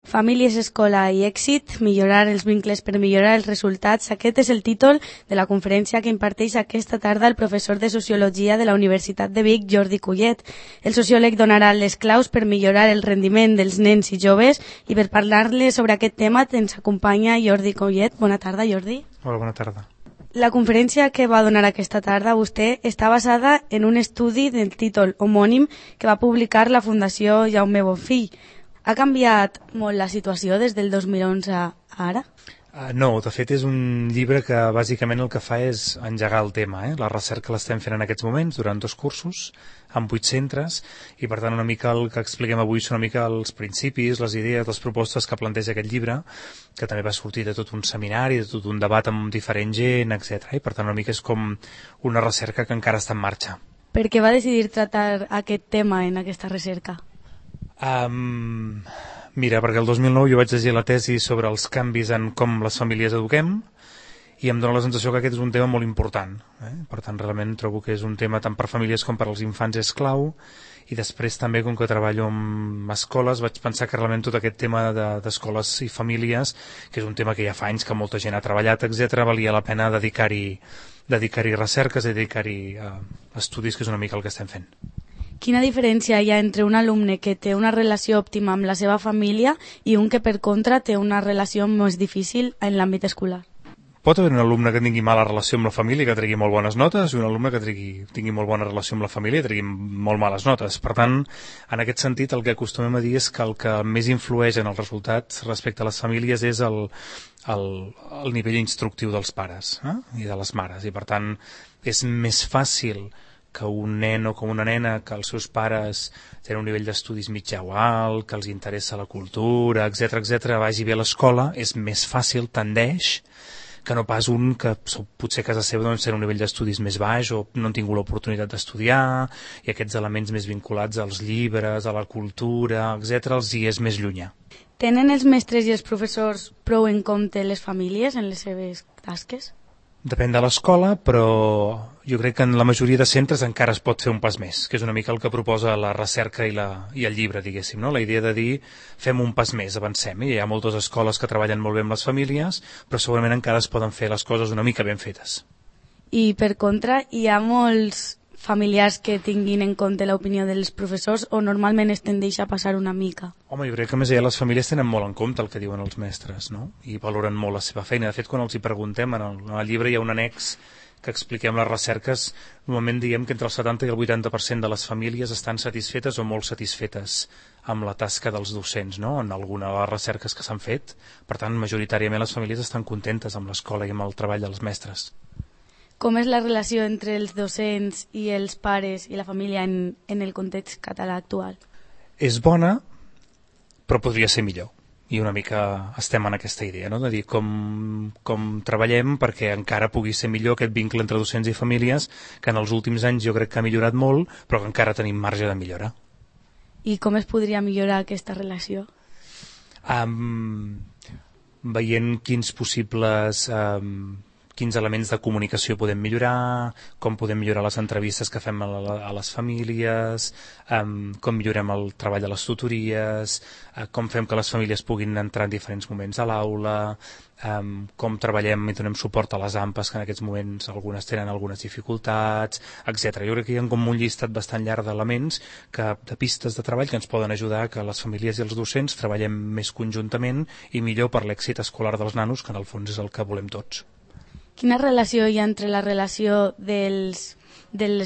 Famílies, escola i èxit, millorar els vincles per millorar els resultats. Aquest és el títol de la conferència que imparteix aquesta tarda el professor de Sociologia de la Universitat de Vic, Jordi Collet. El sociòleg donarà les claus per millorar el rendiment dels nens i joves i per parlar-les sobre aquest tema ens acompanya Jordi Collet. Bona tarda, Jordi. Hola, bona tarda. La conferència que va donar aquesta tarda vostè està basada en un estudi del títol homònim que va publicar la Fundació Jaume Bonfill. Ha canviat molt la situació des del 2011 a ara? No, de fet és un llibre que bàsicament el que fa és engegar el tema. La recerca l'estem fent en aquests moments durant 2 cursos, amb 8 centres, i per tant una mica el que expliquem avui són una mica els principis, les idees, les propostes que planteja aquest llibre, que també va sortir de tot un seminari, de tot un debat amb diferent gent, etc. I per tant una mica és com una recerca que encara està en marxa. Per què va decidir tractar aquest tema en aquesta recerca? Mira, perquè el 2009 jo vaig llegir la tesi sobre els canvis en com les famílies eduquem i em dóna la sensació que aquest és un tema molt important. Per tant, realment trobo que és un tema tant per famílies com per als infants és clau, i després també, com que treballo amb escoles, vaig pensar que realment tot aquest tema d'escoles i famílies, que és un tema que ja fa anys que molta gent ha treballat, etc., valia la pena dedicar-hi recerques, dedicar-hi estudis, que és una mica el que estem fent. Quina diferència hi ha entre un alumne que té una relació òptima amb la seva família i un que, per contra, té una relació més difícil en l'àmbit escolar? Pot haver un alumne que tingui mala relació amb la família i que tregui molt bones notes, i un alumne que tingui molt bona relació amb la família i tregui molt males notes. Per tant, en aquest sentit, el que acostumem a dir és que el que més influeix en els resultats respecte a les famílies és el nivell instructiu dels pares i de les mares. I per tant, és més fàcil que un nen o que una nena, que els seus pares tenen un nivell d'estudis mitjà o alt, que els interessa la cultura, etc., vagi bé a l'escola, és més fàcil, tendeix, que no pas un que potser a casa seva doncs, té un nivell d'estudis més baix o no han tingut l'oportunitat d'estudiar, i aquests elements més vinculats als llibres, a la cultura, etc., els hi és més llunyà. Tenen els mestres i els professors prou en compte les famílies en les seves tasques? Depèn de l'escola, però jo crec que en la majoria de centres encara es pot fer un pas més, que és una mica el que proposa la recerca i el llibre, diguéssim, no? La idea de dir, fem un pas més, avancem. I hi ha moltes escoles que treballen molt bé amb les famílies, però segurament encara es poden fer les coses una mica ben fetes. I per contra, hi ha molts familiars que tinguin en compte l'opinió dels professors o normalment es tendeix a passar una mica? Home, jo crec que més allà les famílies tenen molt en compte el que diuen els mestres, no? I valoren molt la seva feina. De fet, quan els hi preguntem, en el llibre hi ha un annex que expliquem les recerques, normalment diem que entre el 70 i el 80% de les famílies estan satisfetes o molt satisfetes amb la tasca dels docents, no? En alguna de les recerques que s'han fet. Per tant, majoritàriament les famílies estan contentes amb l'escola i amb el treball dels mestres. Com és la relació entre els docents i els pares i la família en el context català actual? És bona, però podria ser millor. I una mica estem en aquesta idea, no? De dir com treballem perquè encara pugui ser millor aquest vincle entre docents i famílies, que en els últims anys jo crec que ha millorat molt, però que encara tenim marge de millora. I com es podria millorar aquesta relació? Veient quins elements de comunicació podem millorar, com podem millorar les entrevistes que fem a les famílies, com millorem el treball de les tutories, com fem que les famílies puguin entrar en diferents moments a l'aula, com treballem i donem suport a les AMPAs, que en aquests moments algunes tenen algunes dificultats, etc. Jo crec que hi ha com un llistat bastant llarg d'elements, de pistes de treball que ens poden ajudar que les famílies i els docents treballem més conjuntament i millor per l'èxit escolar dels nanos, que en el fons és el que volem tots. Quina relació hi ha entre la relació dels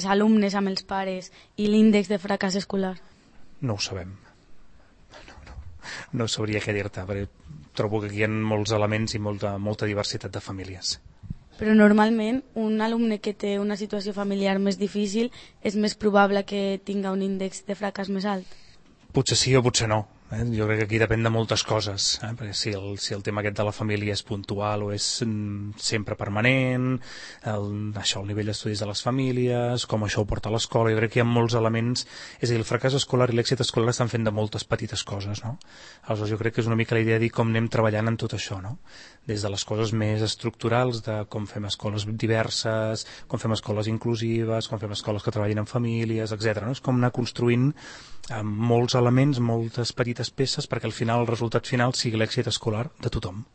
alumnes amb els pares i l'índex de fracàs escolar? No ho sabem. No sabria què dir-te, perquè trobo que aquí hi ha molts elements i molta diversitat de famílies. Però normalment un alumne que té una situació familiar més difícil és més probable que tinga un índex de fracàs més alt? Potser sí o potser no. Jo crec que aquí depèn de moltes coses, perquè si el tema aquest de la família és puntual o és sempre permanent, el nivell d'estudis de les famílies, com això ho porta a l'escola, jo crec que hi ha molts elements, és a dir, el fracàs escolar i l'èxit escolar estan fent de moltes petites coses, no? Aleshores jo crec que és una mica la idea de dir com anem treballant en tot això, no? Des de les coses més estructurals, de com fem escoles diverses, com fem escoles inclusives, com fem escoles que treballin amb famílies, etc. No? És com anar construint molts elements, moltes petites petites peces perquè al final el resultat final sigui l'èxit escolar de tothom.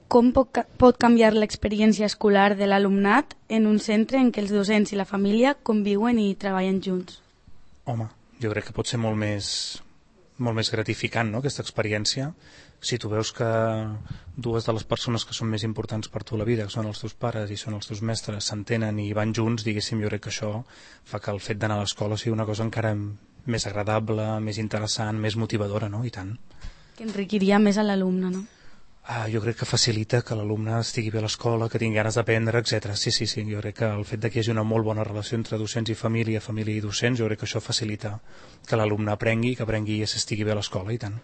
Com pot canviar l'experiència escolar de l'alumnat en un centre en què els docents i la família conviuen i treballen junts? Home, jo crec que pot ser molt més gratificant, no?, aquesta experiència. Si tu veus que dues de les persones que són més importants per tu a la vida, que són els teus pares i són els teus mestres, s'entenen i van junts, diguéssim, jo crec que això fa que el fet d'anar a l'escola sigui una cosa encara més agradable, més interessant, més motivadora, no?, i tant. Que enriquiria més a l'alumne, no? Jo crec que facilita que l'alumne estigui bé a l'escola, que tingui ganes d'aprendre, etc. Sí, jo crec que el fet que hi hagi una molt bona relació entre docents i família i docents, jo crec que això facilita que l'alumne aprengui, que aprengui i s'estigui bé a l'escola, i tant.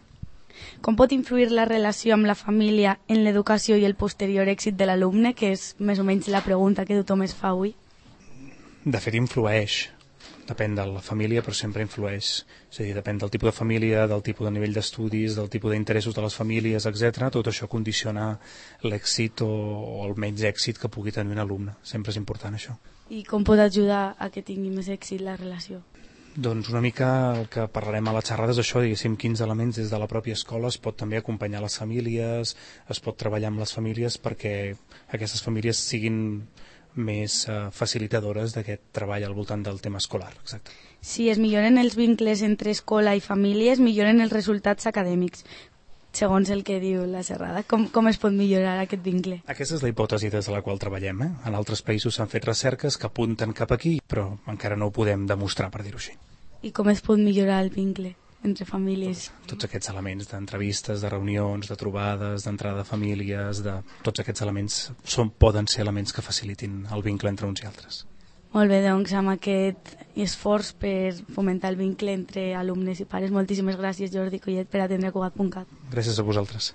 Com pot influir la relació amb la família en l'educació i el posterior èxit de l'alumne, que és més o menys la pregunta que tothom es fa avui? De fet, influeix. Depèn de la família, però sempre influeix. És a dir, depèn del tipus de família, del tipus de nivell d'estudis, del tipus d'interessos de les famílies, etc. Tot això condiciona l'èxit o el menys èxit que pugui tenir un alumne. Sempre és important, això. I com pot ajudar a que tingui més èxit la relació? Doncs una mica el que parlarem a la xerrada és això, diguéssim, quins elements des de la pròpia escola es pot també acompanyar les famílies, es pot treballar amb les famílies perquè aquestes famílies siguin més facilitadores d'aquest treball al voltant del tema escolar. Exacte. Si es milloren els vincles entre escola i famílies, milloren els resultats acadèmics, segons el que diu la xerrada. Com es pot millorar aquest vincle? Aquesta és la hipòtesi des de la qual treballem. En altres països s'han fet recerques que apunten cap aquí, però encara no ho podem demostrar, per dir-ho així. I com es pot millorar el vincle entre famílies? Tots aquests elements d'entrevistes, de reunions, de trobades, d'entrada de famílies, tots aquests elements poden ser elements que facilitin el vincle entre uns i altres. Molt bé, doncs amb aquest esforç per fomentar el vincle entre alumnes i pares, moltíssimes gràcies Jordi Collet per atendre Cugat.cat. Gràcies a vosaltres.